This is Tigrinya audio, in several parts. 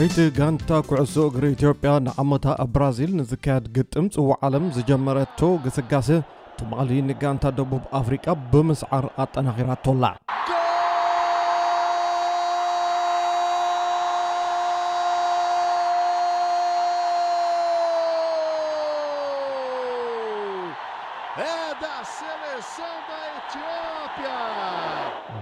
እቲ ጋንታ ኩዕሶ እግሪ ኢትዮጵያ ንዓመታ ኣብ ብራዚል ንዝካየድ ግጥም ጽዋዕ ዓለም ዝጀመረቶ ግስጋሴ ትማሊ ንጋንታ ደቡብ ኣፍሪቃ ብምስዓር ኣጠናኺራቶላ። Gol! É da seleção da Etiópia!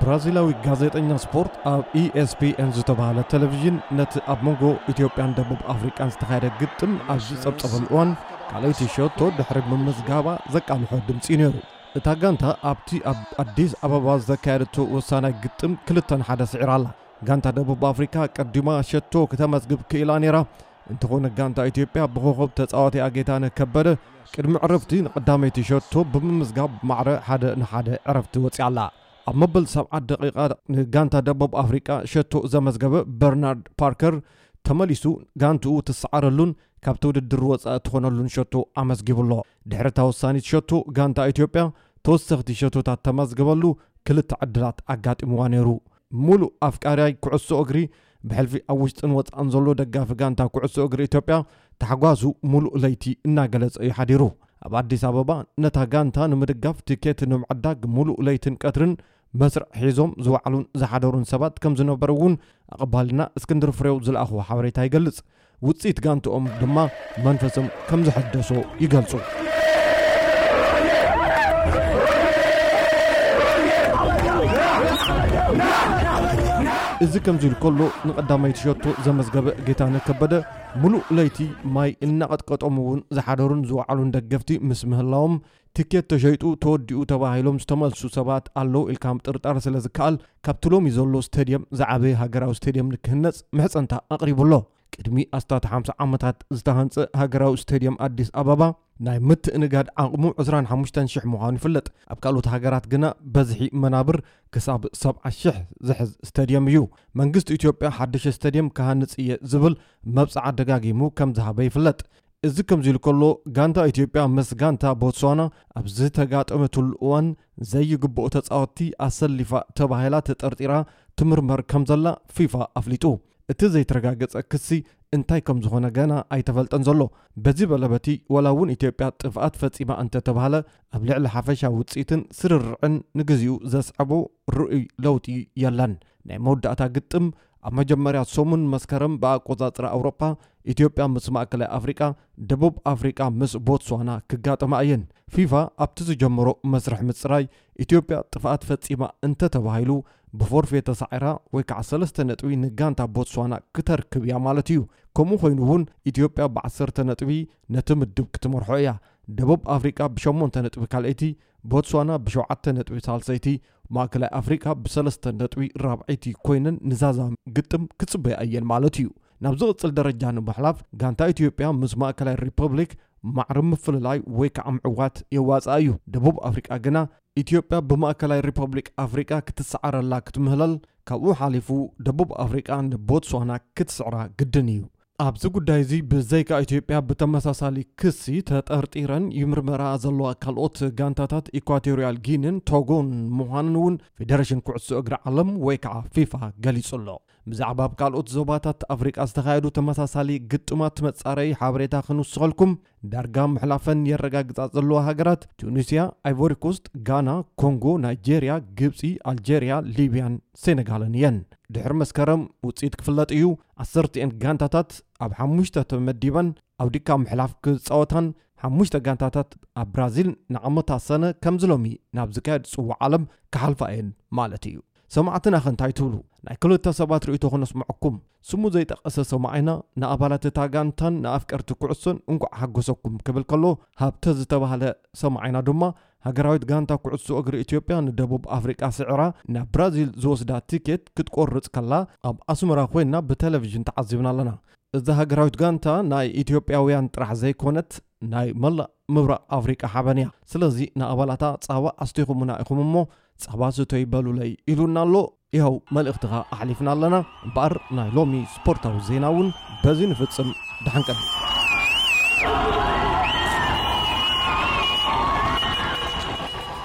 ብራዚላዊ ጋዜጠኛ ስፖርት ኣብ E S P N ዝተባህለ ቴሌቪዥን ነቲ ኣብ መንጎ ኢትዮጵያን ደቡብ ኣፍሪቃን ዝተኻየደ ግጥም ኣብ ዝጸብጸበሉ እዋን ካልኣይቲ ሸቶ ድሕሪ ምምዝጋባ ዘቃልሖ ድምጺ ነይሩ። እታ ጋንታ ኣብቲ ኣብ ኣዲስ ኣበባ ዘካየደቶ ወሳናይ ግጥም ክልተ ንሓደ ስዒራ ኣላ። ጋንታ ደቡብ ኣፍሪካ ቀዲማ ሸቶ ክተመዝግብ ክኢላ ነይራ። እንተኾነ ጋንታ ኢትዮጵያ ብኮኸብ ተጻዋቲኣ ጌታነህ ከበደ ቅድሚ ዕረፍቲ ንቐዳመይቲ ሸቶ ብምምዝጋብ ማዕረ ሓደ ንሓደ ዕረፍቲ ወጺኣ ኣላ። ኣብ መበል ሰብዓ ደቂቓ ንጋንታ ደቡብ ኣፍሪቃ ሸቶ ዘመዝገበ በርናርድ ፓርከር ተመሊሱ ጋንትኡ ትሰዓረሉን ካብቲ ውድድር ወጻኢ ትኾነሉን ሸቶ ኣመዝጊቡ ኣሎ። ድሕሪ እታ ወሳኒት ሸቶ ጋንታ ኢትዮጵያ ተወሰኽቲ ሸቶታት ተመዝገበሉ ክልተ ዕድላት ኣጋጢምዋ ነይሩ። ሙሉእ ኣፍቃሪያይ ኩዕሶ እግሪ ብሕልፊ ኣብ ውሽጥን ወጻእን ዘሎ ደጋፊ ጋንታ ኩዕሶ እግሪ ኢትዮጵያ ታሕጓሱ ሙሉእ ለይቲ እናገለጸ እዩ ሓዲሩ። ኣብ ኣዲስ ኣበባ ነታ ጋንታ ንምድጋፍ ቲኬት ንምዕዳግ ሙሉእ ለይትን ቀትርን መስርዕ ሒዞም ዝወዓሉን ዝሓደሩን ሰባት ከም ዝነበሩ እውን ኣቐባልና እስክንድር ፍሬው ዝለኣኽዎ ሓበሬታ ይገልጽ። ውጽኢት ጋንትኦም ድማ መንፈሶም ከም ዘሐደሶ ይገልጹ። እዚ ከምዚ ኢሉ ከሎ ንቐዳመይቲ ሸቶ ዘመዝገበ ጌታነህ ከበደ ሙሉእ ለይቲ ማይ እናቐጥቀጦም እውን ዝሓደሩን ዝወዓሉን ደገፍቲ ምስ ምህላዎም ትኬት ተሸይጡ ተወዲኡ ተባሂሎም ዝተመልሱ ሰባት ኣለዉ ኢልካ ምጥርጣር ስለ ዝከኣል ካብቲ ሎሚ ዘሎ ስቴድየም ዝዓበየ ሃገራዊ ስቴድየም ንክህነጽ ምሕጸንታ ኣቕሪቡ ኣሎ። ቅድሚ ኣስታት ሓምሳ ዓመታት ዝተሃንጸ ሃገራዊ ስቴድየም ኣዲስ ኣበባ ናይ ምትእንጋድ ዓቕሙ ዕስራን ሓሙሽተን ሽሕ ምዃኑ ይፍለጥ። ኣብ ካልኦት ሃገራት ግና በዝሒ መናብር ክሳብ ሰብዓ ሽሕ ዝሕዝ ስቴድየም እዩ። መንግስቲ ኢትዮጵያ ሓድሽ ስቴድየም ክሃንጽ እየ ዝብል መብጽዓ ደጋጊሙ ከም ዝሃበ ይፍለጥ። እዚ ከምዚ ኢሉ ከሎ ጋንታ ኢትዮጵያ ምስ ጋንታ ቦትስዋና ኣብ ዝተጋጠመትሉ እዋን ዘይግብኦ ተጻወትቲ ኣሰሊፋ ተባሂላ ተጠርጢራ ትምርመር ከም ዘላ ፊፋ ኣፍሊጡ። እቲ ዘይተረጋገጸ ክሲ እንታይ ከም ዝኾነ ገና ኣይተፈልጠን ዘሎ። በዚ በለበቲ ወላ እውን ኢትዮጵያ ጥፍኣት ፈጺማ እንተተባህለ ኣብ ልዕሊ ሓፈሻዊ ውጽኢትን ስርርዕን ንግዚኡ ዘስዐቦ ርኡይ ለውጢ የለን። ናይ መወዳእታ ግጥም ኣብ መጀመርያ ሰሙን መስከረም ብኣቆጻጽራ ኣውሮፓ ኢትዮጵያ ምስ ማእከላይ ኣፍሪቃ፣ ደቡብ ኣፍሪቃ ምስ ቦትስዋና ክጋጠማ እየን። ፊፋ ኣብቲ ዝጀመሮ መስርሕ ምጽራይ ኢትዮጵያ ጥፍኣት ፈጺማ እንተተባሂሉ ብፎርፌ ተሳዒራ ወይ ከዓ ሰለስተ ነጥቢ ንጋንታ ቦትስዋና ክተርክብ እያ ማለት እዩ። ከምኡ ኮይኑ እውን ኢትዮጵያ ብዓሰርተ ነጥቢ ነቲ ምድብ ክትመርሖ እያ። ደቡብ ኣፍሪቃ ብሸሞንተ ነጥቢ ካልኣይቲ፣ ቦትስዋና ብሸውዓተ ነጥቢ ሳልሰይቲ፣ ማእከላይ ኣፍሪቃ ብሰለስተ ነጥቢ ራብዐይቲ ኮይነን ንዛዛ ግጥም ክጽበያ እየን ማለት እዩ። ናብ ዝቕጽል ደረጃ ንምሕላፍ ጋንታ ኢትዮጵያ ምስ ማእከላይ ሪፐብሊክ ማዕረ ምፍልላይ ወይ ከዓ ምዕዋት የዋፅኣ እዩ። ደቡብ ኣፍሪቃ ግና ኢትዮጵያ ብማእከላይ ሪፐብሊክ ኣፍሪቃ ክትሰዓረላ ክትምህለል ካብኡ ሓሊፉ ደቡብ ኣፍሪቃ ንቦትስዋና ክትስዕራ ግድን እዩ። ኣብዚ ጉዳይ እዚ ብዘይካ ኢትዮጵያ ብተመሳሳሊ ክሲ ተጠርጢረን ይምርመራ ዘለዋ ካልኦት ጋንታታት ኢኳቶሪያል ጊንን ቶጎን ምዃንን እውን ፌደሬሽን ኩዕሶ እግሪ ዓለም ወይ ከዓ ፊፋ ገሊጹ ኣሎ። ብዛዕባ ኣብ ካልኦት ዞባታት ኣፍሪቃ ዝተኻየዱ ተመሳሳሊ ግጥማት መጻረዪ ሓበሬታ ክንውስኸልኩም ዳርጋ ምሕላፈን የረጋግጻ ዘለዋ ሃገራት ቱኒስያ፣ ኣይቮሪኮስት፣ ጋና፣ ኮንጎ፣ ናይጄርያ፣ ግብጺ፣ ኣልጄርያ፣ ሊብያን ሴነጋልን እየን። ድሕሪ መስከረም ውጽኢት ክፍለጥ እዩ። ዓሰርቲኤን ጋንታታት ኣብ ሓሙሽተ ተመዲበን ኣብ ድካ ምሕላፍ ክጻወታን ሓሙሽተ ጋንታታት ኣብ ብራዚል ንዓመታ ሰነ ከምዚ ሎሚ ናብ ዝካየድ ጽዋዕ ዓለም ክሓልፋ እየን ማለት እዩ። ሰማዕትና ኸ እንታይ ትብሉ? ናይ ክልተ ሰባት ርእይቶ ክነስምዐኩም። ስሙ ዘይጠቐሰ ሰማዒና ንኣባላት እታ ጋንታን ንኣፍቀርቲ ኩዕሶን እንቋዕ ሓጎሰኩም ክብል ከሎ ሃብተ ዝተባህለ ሰማዒና ድማ ሃገራዊት ጋንታ ኩዕሶ እግሪ ኢትዮጵያ ንደቡብ ኣፍሪቃ ስዕራ ናብ ብራዚል ዝወስዳ ቲኬት ክትቆርጽ ከላ ኣብ ኣስመራ ኮይና ብቴሌቪዥን ተዓዚብና ኣለና። እዛ ሃገራዊት ጋንታ ናይ ኢትዮጵያውያን ጥራሕ ዘይኮነት ናይ መላእ ምብራቕ ኣፍሪቃ ሓበን እያ። ስለዚ ንኣባላታ ጻባ ኣስቲኹምና ኢኹም እሞ ጻባ ስተዩ በሉለይ ኢሉና ኣሎ። ይኸው መልእኽትኻ ኣሕሊፍና ኣለና። እምበኣር ናይ ሎሚ ስፖርታዊ ዜና እውን በዚ ንፍጽም። ደሓን ቀኒ።